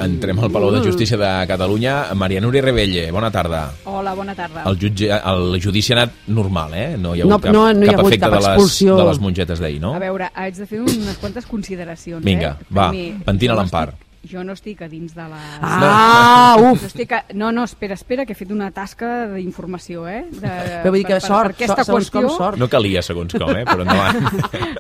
Entrem al Palau de Justícia de Catalunya. Maria Núria Rebelle, bona tarda. Hola, bona tarda. El judici ha anat normal, eh? No hi ha hagut cap efecte de les mongetes d'ahir, no? A veure, haig de fer unes quantes consideracions. Vinga, va, pentina l'empar. Jo no estic a dins de les... Uf! No, espera, que he fet una tasca d'informació, Però vull dir que sort, segons com sort. No calia segons com, però endavant.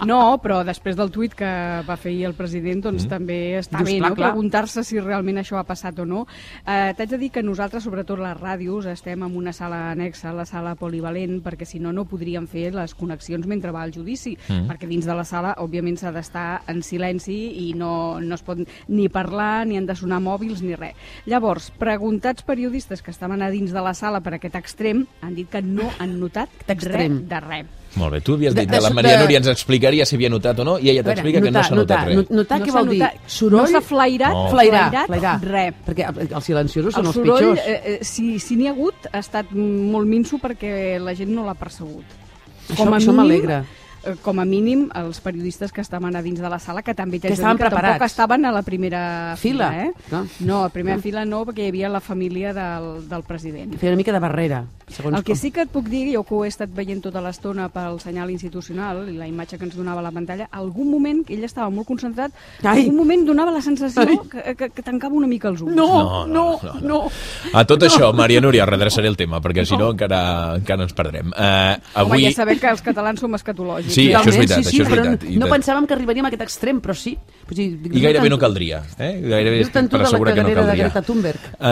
No, però després del tuit que va fer ahir el president, doncs també està bé, no? Preguntar-se si realment això ha passat o no. T'haig de dir que nosaltres, sobretot les ràdios, estem en una sala anexa, la sala polivalent, perquè si no, no podríem fer les connexions mentre va el judici, perquè dins de la sala, òbviament, s'ha d'estar en silenci i no es pot ni parlar ni han de sonar mòbils ni res. Llavors, preguntats periodistes que estaven a dins de la sala per aquest extrem han dit que no han notat res de res. Molt bé, tu havies dit que la Maria Núria ens explicaria si havia notat o no i ella t'explica que no s'ha notat res. Notar què vol dir? Soroll? No s'ha flairat res. Perquè els silenciosos són els pitjors. El soroll, si n'hi ha hagut, ha estat molt minso perquè la gent no l'ha percebut. Això m'alegra. Com a mínim, els periodistes que estaven a dins de la sala, que també que tampoc estaven a la primera fila. No, a la primera fila no, perquè hi havia la família del president. Feia una mica de barrera. El que sí que et puc dir, jo que ho he estat veient tota l'estona pel senyal institucional i la imatge que ens donava a la pantalla, algun moment, que ell estava molt concentrat, algun moment donava la sensació que tancava una mica els ulls. No. A tot això, Maria Núria, redreçaré el tema, perquè si no encara ens perdrem. Home, ja sabem que els catalans som escatològics. Sí, això és veritat. No pensàvem que arribaríem a aquest extrem, però sí. I gairebé no caldria. Gairebé per assegurar que no caldria.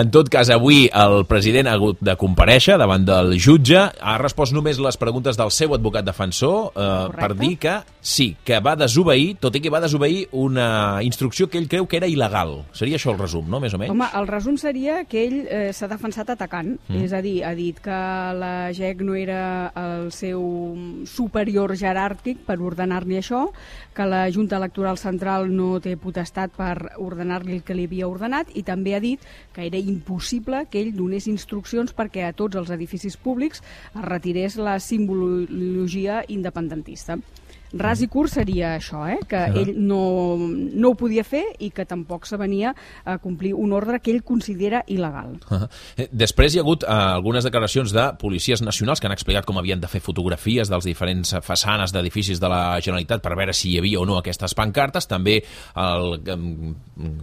En tot cas, avui el president ha hagut de comparèixer davant del jutge. Ha respost només les preguntes del seu advocat defensor per dir que sí, que va desobeir, tot i que va desobeir una instrucció que ell creu que era il·legal. Seria això el resum, no? Més o menys? Home, el resum seria que ell s'ha defensat atacant. És a dir, ha dit que la GEC no era el seu superior jeràrquic per ordenar-li això, que la Junta Electoral Central no té potestat per ordenar-li el que li havia ordenat, i també ha dit que era impossible que ell donés instruccions perquè a tots els edificis públics es retirés la simbologia independentista. Ras i curt seria això, que ell no ho podia fer i que tampoc s'avenia a complir un ordre que ell considera il·legal. Després hi ha hagut algunes declaracions de policies nacionals que han explicat com havien de fer fotografies dels diferents façanes d'edificis de la Generalitat per veure si hi havia o no aquestes pancartes, també el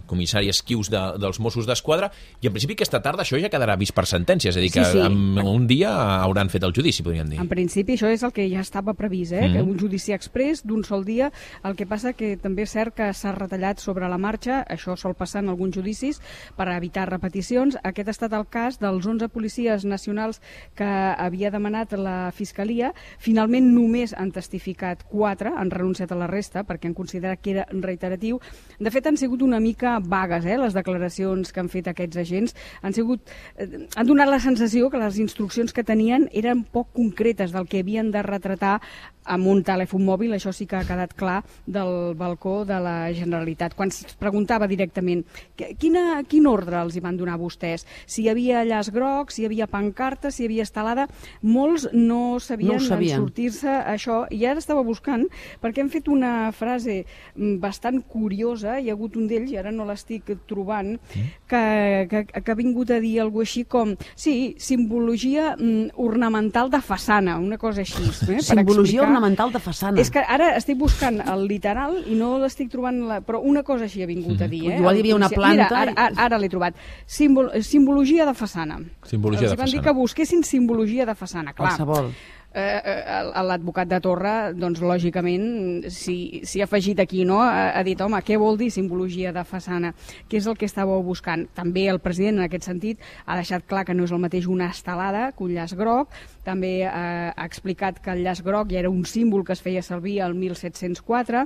comissari Esquius dels Mossos d'Esquadra, i en principi aquesta tarda això ja quedarà vist per sentència, és a dir, que en un dia hauran fet el judici, podríem dir. En principi això és el que ja estava previst, que un judici express d'un sol dia. El que passa que també és cert que s'ha retallat sobre la marxa, això sol passar en alguns judicis per evitar repeticions. Aquest ha estat el cas dels 11 policies nacionals que havia demanat la Fiscalia. Finalment només han testificat 4, han renunciat a la resta perquè han considerat que era reiteratiu. De fet, han sigut una mica vagues, les declaracions que han fet aquests agents. Han donat la sensació que les instruccions que tenien eren poc concretes del que havien de retratar amb un telèfon mòbil. Això sí que ha quedat clar del balcó de la Generalitat. Quan es preguntava directament quin ordre els hi van donar vostès, si hi havia llaç groc, si hi havia pancarta, si hi havia estelada, molts no sabien sortir-se això, i ara estava buscant, perquè hem fet una frase bastant curiosa, hi ha hagut un d'ells, i ara no l'estic trobant, que ha vingut a dir alguna així com, sí, simbologia ornamental de façana, una cosa així. Simbologia ornamental de façana. És que ara estic buscant el literal i no l'estic trobant, però una cosa així ha vingut a dir. Igual hi havia una planta... Mira, ara l'he trobat. Simbologia de façana. Simbologia de façana. Els van dir que busquessin simbologia de façana, clar. Qualsevol. L'advocat de Torra, doncs lògicament s'hi ha afegit aquí, no? Ha dit, home, què vol dir simbologia de façana? Què és el que estàveu buscant? També el president, en aquest sentit, ha deixat clar que no és el mateix una estelada que un llaç groc. També ha explicat que el llaç groc ja era un símbol que es feia servir al 1704.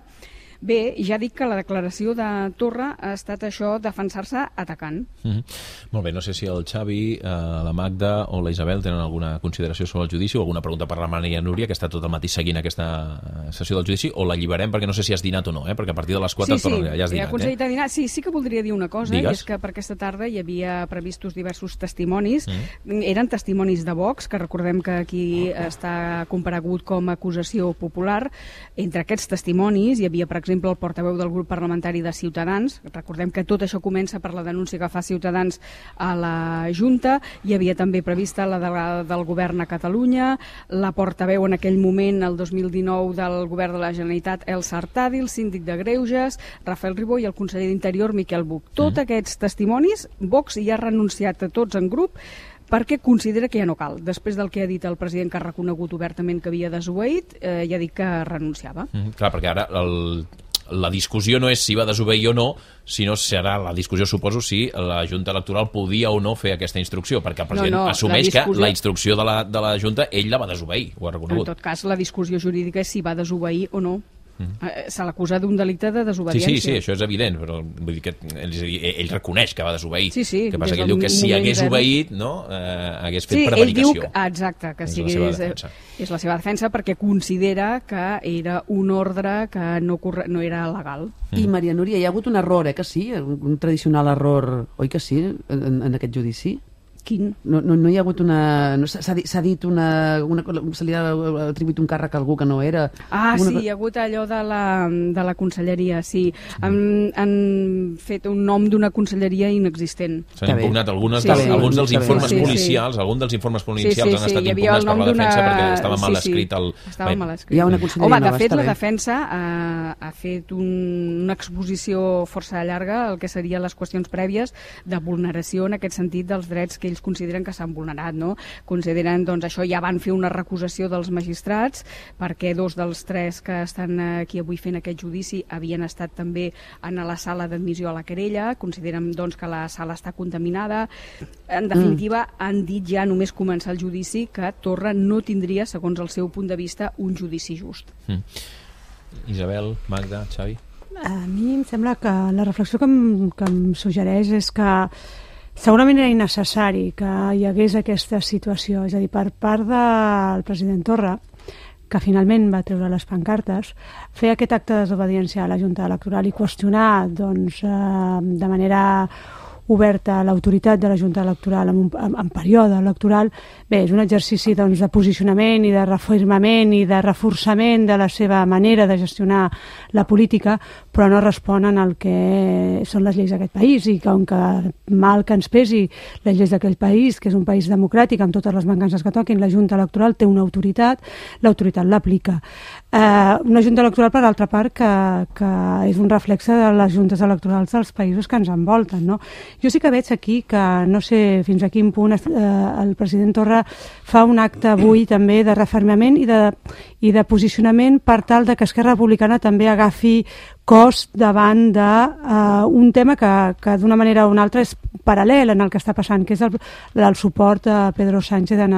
Bé, ja dic que la declaració de Torra ha estat això, defensar-se atacant. Molt bé, no sé si el Xavi, la Magda o la Isabel tenen alguna consideració sobre el judici o alguna pregunta per la Maria Núria, que està tot el matí seguint aquesta sessió del judici, o la lliberem perquè no sé si has dinat o no, perquè a partir de les 4 ja has dinat. Sí, he aconseguit dinar. Sí que voldria dir una cosa, i és que per aquesta tarda hi havia previstos diversos testimonis. Eren testimonis de Vox, que recordem que aquí està comparegut com a acusació popular. Entre aquests testimonis hi havia, per exemple, exemple, el portaveu del grup parlamentari de Ciutadans. Recordem que tot això comença per la denúncia que fa Ciutadans a la Junta. Hi havia també prevista la delegada del govern a Catalunya, la portaveu en aquell moment, el 2019, del govern de la Generalitat, Elsa Artadi, el síndic de Greuges, Rafael Ribó, i el conseller d'Interior, Miquel Buch. Tots aquests testimonis, Vox ja ha renunciat a tots en grup perquè considera que ja no cal. Després del que ha dit el president, que ha reconegut obertament que havia desobeït, ja ha dit que renunciava. Clar, perquè ara la discussió no és si va desobeir o no, sinó serà la discussió, suposo, si la Junta Electoral podia o no fer aquesta instrucció, perquè el president assumeix que la instrucció de la Junta ell la va desobeir, ho ha reconegut. En tot cas, la discussió jurídica és si va desobeir o no. Se l'acusa d'un delicte de desobediència. Sí, això és evident, però vull dir que ell reconeix que va desobeir. Sí, que passa que ell diu que si hagués obeït, no, hagués fet prevaricació. Ell diu, exacte, que és la seva defensa, perquè considera que era un ordre que no era legal. I Maria Núria, hi ha hagut un error, que sí? Un tradicional error, oi que sí, en aquest judici? Quin? No hi ha hagut una... S'ha dit una... Se li ha atribuït un càrrec a algú que no era... Sí, hi ha hagut allò de la conselleria, sí. Han fet un nom d'una conselleria inexistent. S'han impugnat alguns dels informes policials, alguns dels informes policials han estat impugnats per la defensa perquè estava mal escrit el... Estava mal escrit. Hi ha una conselleria nova, de fet, la defensa ha fet una exposició força llarga al que serien les qüestions prèvies de vulneració en aquest sentit dels drets que ells consideren que s'han vulnerat, no? Consideren, doncs, això, ja van fer una recusació dels magistrats, perquè 2 dels 3 que estan aquí avui fent aquest judici havien estat també en la sala d'admissió a la querella, consideren, doncs, que la sala està contaminada. En definitiva, han dit ja, només començar el judici, que Torra no tindria, segons el seu punt de vista, un judici just. Isabel, Magda, Xavi? A mi em sembla que la reflexió que em suggereix és que segurament era innecessari que hi hagués aquesta situació, és a dir, per part del president Torra, que finalment va treure les pancartes, fer aquest acte de desobediència a la Junta Electoral i qüestionar, doncs, de manera oberta l'autoritat de la Junta Electoral en període electoral, bé, és un exercici, doncs, de posicionament i de reafirmament i de reforçament de la seva manera de gestionar la política, però no responen al que són les lleis d'aquest país, i com que mal que ens pesi les lleis d'aquest país, que és un país democràtic amb totes les mancances que toquin, la Junta Electoral té una autoritat, l'autoritat l'aplica. Una Junta Electoral, per altra part, que és un reflexe de les juntes electorals dels països que ens envolten, no? Jo sí que veig aquí que no sé fins a quin punt el president Torra fa un acte avui també de refermament i de posicionament per tal de que Esquerra Republicana també agafi cos davant d'un tema que d'una manera o una altra és paral·lel en el que està passant, que és el suport a Pedro Sánchez en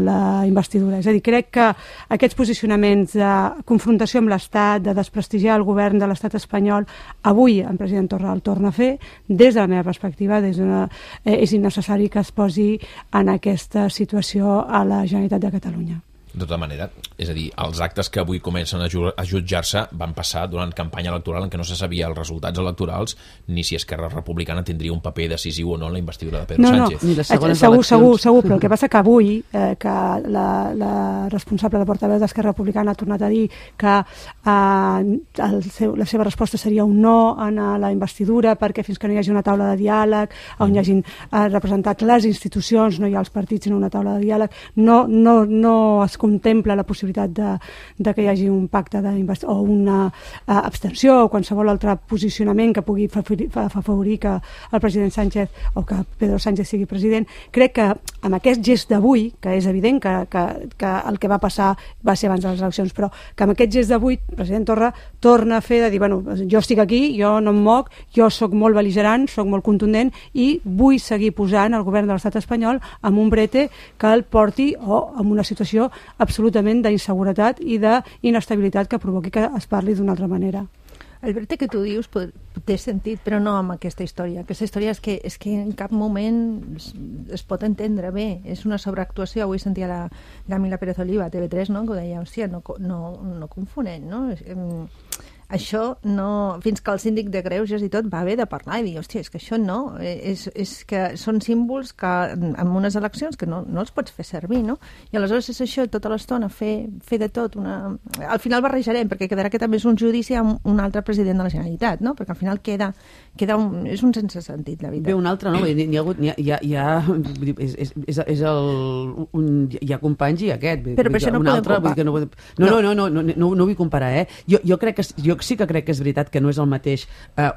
la investidura. És a dir, crec que aquests posicionaments de confrontació amb l'Estat, de desprestigiar el govern de l'Estat espanyol, avui el president Torra el torna a fer. Des de la meva perspectiva, és innecessari que es posi en aquesta situació a la Generalitat de Catalunya. De tota manera, és a dir, els actes que avui comencen a jutjar-se van passar durant campanya electoral en què no se sabia els resultats electorals ni si Esquerra Republicana tindria un paper decisiu o no en la investidura de Pedro Sánchez. Segur, però el que passa que avui que la responsable de portaveu d'Esquerra Republicana ha tornat a dir que la seva resposta seria un no en la investidura, perquè fins que no hi hagi una taula de diàleg on hi hagin representat les institucions, no hi ha els partits sinó una taula de diàleg, no es contempla la possibilitat de que hi hagi un pacte o una abstenció o qualsevol altre posicionament que pugui afavorir que el president Sánchez o que Pedro Sánchez sigui president. Crec que amb aquest gest d'avui, que és evident que el que va passar va ser abans de les eleccions, però que amb aquest gest d'avui el president Torra torna a fer de dir, bueno, jo estic aquí, jo no em moc, jo sóc molt bel·ligerant, sóc molt contundent i vull seguir posant el govern de l'estat espanyol amb un brete que el porti o amb una situació absolutament d'inseguretat i d'inestabilitat que provoqui que es parli d'una altra manera. El brete que tu dius té sentit, però no amb aquesta història. Aquesta història és que en cap moment es pot entendre bé. És una sobreactuació. Avui sentia la Camila Pérez Oliva a TV3, no? Que ho deia, hòstia, no confonem, no? això no... Fins que el síndic de Greuges i tot va haver de parlar i dir, hòstia, és que això no, és que són símbols que en unes eleccions que no els pots fer servir, no? I aleshores és això, tota l'estona, fer de tot. Al final barrejarem, perquè quedarà que també és un judici amb un altre president de la Generalitat, no? Perquè al final és un sense sentit, la veritat. Ve un altre, no? Hi ha companys i aquest. Però per això no podem comparar. No vull comparar, eh? Jo sí que crec que és veritat que no és el mateix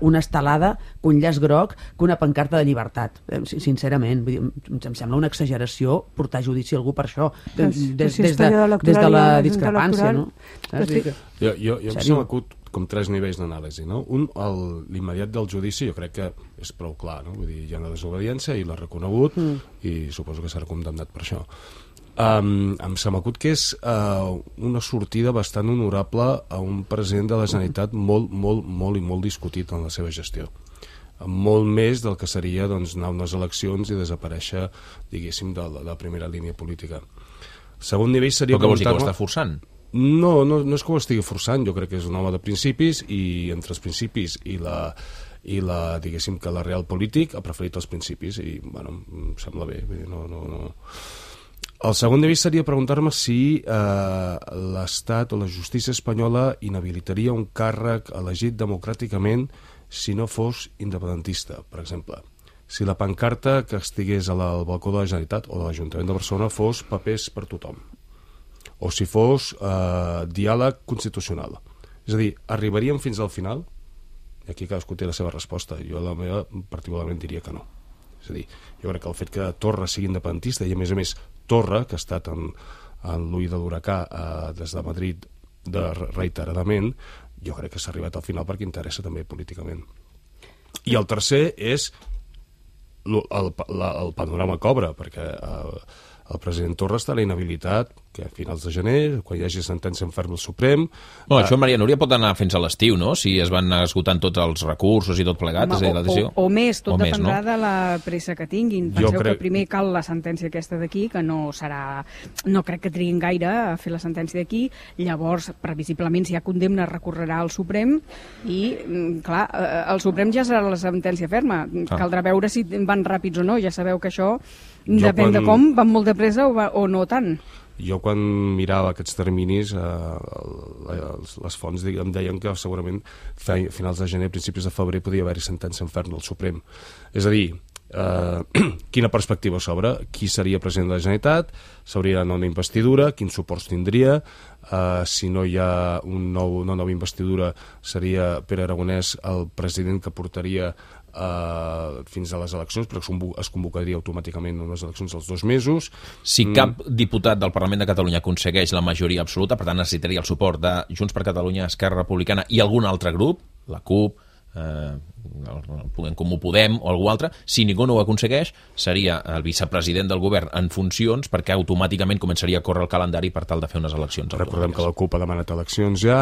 una estelada, un llaç groc, que una pancarta de llibertat. Sincerament, em sembla una exageració portar a judici a algú per això, des de la discrepància, no? Jo m'ha acut com 3 nivells d'anàlisi, no? Un, l'immediat del judici, jo crec que és prou clar, no? Vull dir, hi ha una desobediència i l'ha reconegut i suposo que serà condemnat per això. Se m'acut que és una sortida bastant honorable a un president de la Generalitat molt discutit en la seva gestió, molt més del que seria doncs, anar a unes eleccions i desaparèixer, diguéssim, de la primera línia política. Segon nivell seria... Però què vols dir, que ho està forçant? No és que ho estigui forçant, jo crec que és un home de principis i entre els principis i diguéssim que la real polític ha preferit els principis i, bueno, em sembla bé, no. El segon nivell seria preguntar-me si l'Estat o la justícia espanyola inhabilitaria un càrrec elegit democràticament si no fos independentista, per exemple. Si la pancarta que estigués al balcó de la Generalitat o de l'Ajuntament de Barcelona fos papers per tothom, o si fos diàleg constitucional. És a dir, arribaríem fins al final? I aquí cadascú té la seva resposta. Jo la meva particularment diria que no. És a dir, jo crec que el fet que Torra sigui independentista i a més Torra, que ha estat en l'ull de l'huracà des de Madrid reiteradament, jo crec que s'ha arribat al final perquè interessa també políticament. I el tercer és el panorama que obre, perquè el president Torra estarà inhabilitat que a finals de gener, quan hi hagi sentència en ferm del Suprem... Això, Maria Núria, pot anar fins a l'estiu, no? Si es van esgotant tots els recursos i tot plegat. O més, tot dependrà de la pressa que tinguin. Penseu que primer cal la sentència aquesta d'aquí, que no crec que triguin gaire a fer la sentència d'aquí, llavors, previsiblement, si hi ha condemna, recorrerà al Suprem i, clar, el Suprem ja serà la sentència ferma. Caldrà veure si van ràpids o no. Ja sabeu que això depèn de com, van molt de pressa o no tant. Jo quan mirava aquests terminis les fonts em deien que segurament a finals de gener, principis de febrer podia haver-hi sentència en ferm del Suprem. És a dir, quina perspectiva s'obre? Qui seria president de la Generalitat? S'hauria d'anar una investidura? Quins suports tindria? Si no hi ha una nova investidura seria Pere Aragonès el president que portaria fins a les eleccions, perquè es convocaria automàticament unes eleccions als 2 mesos. Si cap diputat del Parlament de Catalunya aconsegueix la majoria absoluta, per tant necessitaria el suport de Junts per Catalunya, Esquerra Republicana i algun altre grup, la CUP, en Comú Podem o algú altre, si ningú no ho aconsegueix seria el vicepresident del govern en funcions perquè automàticament començaria a córrer el calendari per tal de fer unes eleccions. Recordem que la CUP ha demanat eleccions ja,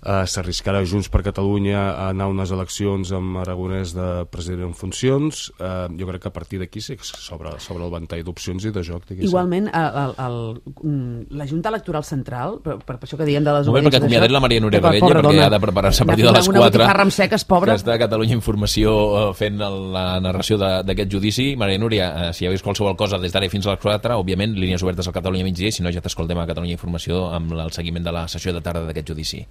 s'arriscarà Junts per Catalunya a anar a unes eleccions amb Aragonès de president en funcions. Jo crec que a partir d'aquí sí que s'obre el ventall d'opcions i de joc. Igualment, la Junta Electoral Central, per això que diem de les obediències... Perquè acomiadet la Maria Núria Rebella perquè ha de preparar-se a partir de les 4. Una botifarra amb seques, pobra. Que està a Catalunya Informació fent la narració d'aquest judici. Maria Núria, si hi hagués qualsevol cosa des d'ara fins a les 4, òbviament, línies obertes al Catalunya Migdia, i si no ja t'escoltem a Catalunya Informació amb el seguiment de la sessió de tarda d'aquest judici.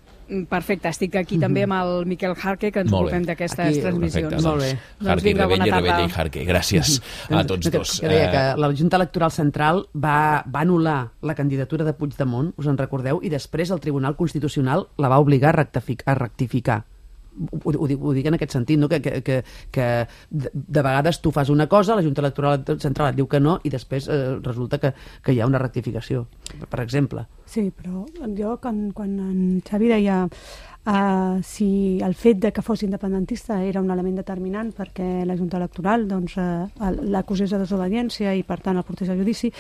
Perfecte, estic aquí també amb el Miquel Jarque, que ens ocupem d'aquestes transmissions. Perfecte, molt bé. Jarque, Rebella i Jarque. Gràcies a tots dos. Que deia que la Junta Electoral Central va anul·lar la candidatura de Puigdemont, us en recordeu, i després el Tribunal Constitucional la va obligar a rectificar. Ho dic en aquest sentit, no? que de vegades tu fas una cosa, la Junta Electoral Central et diu que no i després resulta que hi ha una rectificació, per exemple. Sí, però jo quan en Xavi deia si el fet de que fos independentista era un element determinant perquè la Junta Electoral l'acusés de desobediència i per tant el portés a judici,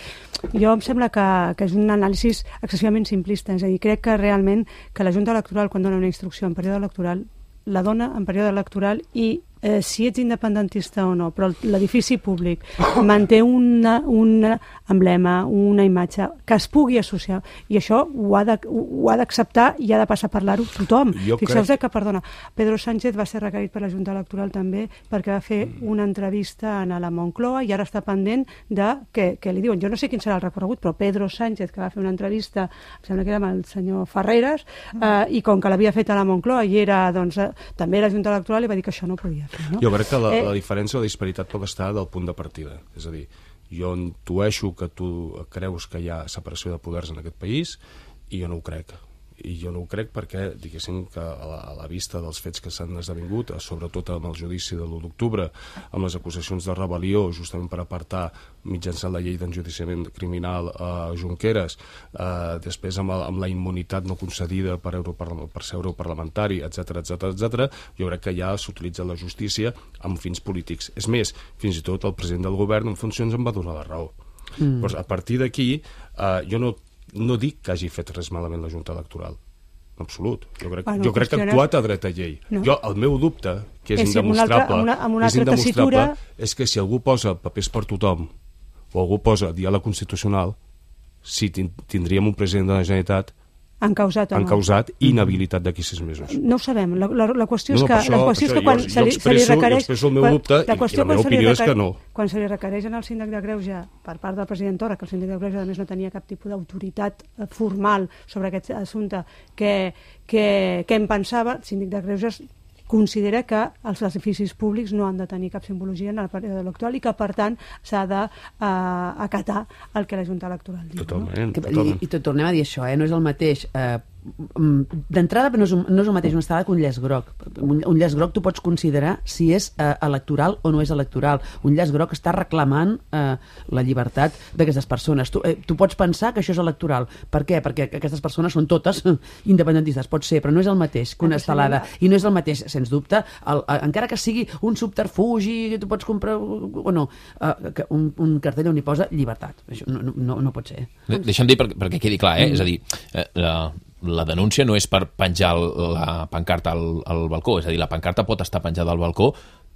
jo em sembla que és un anàlisi excessivament simplista. És a dir, crec que realment que la Junta Electoral quan dona una instrucció en període electoral la dona en període electoral i si ets independentista o no, però l'edifici públic manté un emblema, una imatge que es pugui associar, i això ho ha d'acceptar i ha de passar a parlar-ho tothom. Fixeu-vos que, perdona, Pedro Sánchez va ser requerit per la Junta Electoral també perquè va fer una entrevista a la Moncloa i ara està pendent de què li diuen. Jo no sé quin serà el recorregut, però Pedro Sánchez, que va fer una entrevista, em sembla que era amb el senyor Ferreras, i com que l'havia fet a la Moncloa i era, doncs, també la Junta Electoral, li va dir que això no podia fer. No? Jo crec que la diferència o la disparitat pot estar del punt de partida. És a dir, jo intueixo que tu creus que hi ha separació de poders en aquest país i jo no ho crec. I jo no ho crec perquè, diguéssim, que a la vista dels fets que s'han esdevingut, sobretot amb el judici de l'1 d'octubre, amb les acusacions de rebel·lió, justament per apartar mitjançant la llei d'enjudiciament criminal a Junqueras, després amb la immunitat no concedida per ser europarlamentari, etc, jo crec que ja s'utilitza la justícia amb fins polítics. És més, fins i tot el president del govern en funcions em va donar la raó. Doncs a partir d'aquí, jo no dic que hagi fet res malament la Junta Electoral, en absolut. Jo crec que ha actuat a dret a llei. No. El meu dubte, que és indemostrable, és que si algú posa papers per tothom o algú posa diàleg constitucional, si tindríem un president de la Generalitat encausat o no. Encausat i inhabilitat d'aquí 6 mesos. No ho sabem. La qüestió és que quan se li requereix... Jo expresso el meu dubte i la meva opinió és que no. Quan se li requereix al síndic de Greuges per part del president Torra, que el síndic de Greuges a més no tenia cap tipus d'autoritat formal sobre aquest assumpte, què en pensava, el síndic de Greuges considera que els edificis públics no han de tenir cap simbologia en el període electoral i que, per tant, s'ha d'acatar el que la Junta Electoral diu. Totalment. I tornem a dir això, no és el mateix... D'entrada no és el mateix una estada que un llaç groc. Un llaç groc tu pots considerar si és electoral o no és electoral. Un llaç groc està reclamant la llibertat d'aquestes persones. Tu pots pensar que això és electoral. Per què? Perquè aquestes persones són totes independentistes. Pot ser, però no és el mateix que una estelada. I no és el mateix, sens dubte, encara que sigui un subterfugi que tu pots comprar o no, un cartell on hi posa llibertat. Això no pot ser. Deixa'm dir perquè quedi clar, és a dir, la denúncia no és per penjar la pancarta al balcó, és a dir, la pancarta pot estar penjada al balcó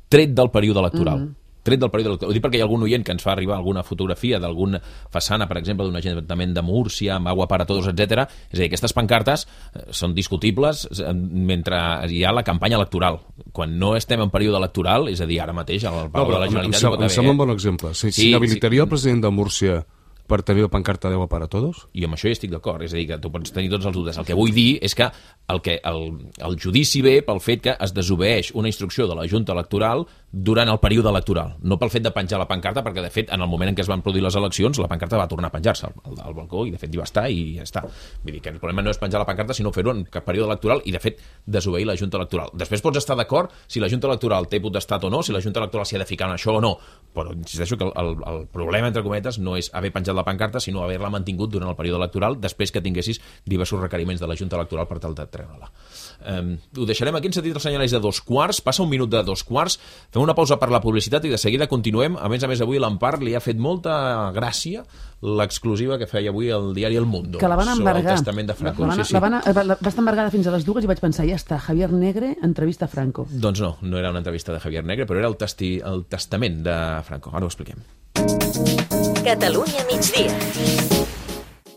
tret del període electoral. Ho dic perquè hi ha algun oient que ens fa arribar alguna fotografia d'alguna façana, per exemple, d'un ajuntament de Múrcia, amb agua para todos, etc. És a dir, aquestes pancartes són discutibles mentre hi ha la campanya electoral. Quan no estem en període electoral, és a dir, ara mateix al Palau de la Generalitat... Em sembla un bon exemple. S'inhabilitaria el president de Múrcia per tenir la pancarta de agua para todos? I amb això hi estic d'acord, és a dir, que tu pots tenir tots els dubtes. El que vull dir és que el judici ve pel fet que es desobeeix una instrucció de la Junta Electoral durant el període electoral, no pel fet de penjar la pancarta, perquè de fet en el moment en què es van produir les eleccions la pancarta va tornar a penjar-se al balcó i de fet hi va estar i ja està. Vull dir que el problema no és penjar la pancarta sinó fer-ho en cap període electoral i de fet desobeir la Junta Electoral. Després pots estar d'acord si la Junta Electoral té potestat o no, si la Junta Electoral s'hi ha de ficar en això o no, però insisteixo que el problema entre cometes no és haver penjat la pancarta sinó haver-la mantingut durant el període electoral després que tinguessis diversos requeriments de la Junta Electoral per tal de treure-la. Ho deixarem aquí, en sentit el senyal és de 2:15, passa un minut de 2:15, fem una pausa per la publicitat i de seguida continuem. A més, avui l'Empar li ha fet molta gràcia l'exclusiva que feia avui el diari El Mundo que la van embargar. Sobre el testament de Franco. Va estar embargada fins a les 2 i vaig pensar, ja està, Javier Negre entrevista a Franco. Doncs no era una entrevista de Javier Negre, però era el testament de Franco. Ara ho expliquem. Catalunya migdia.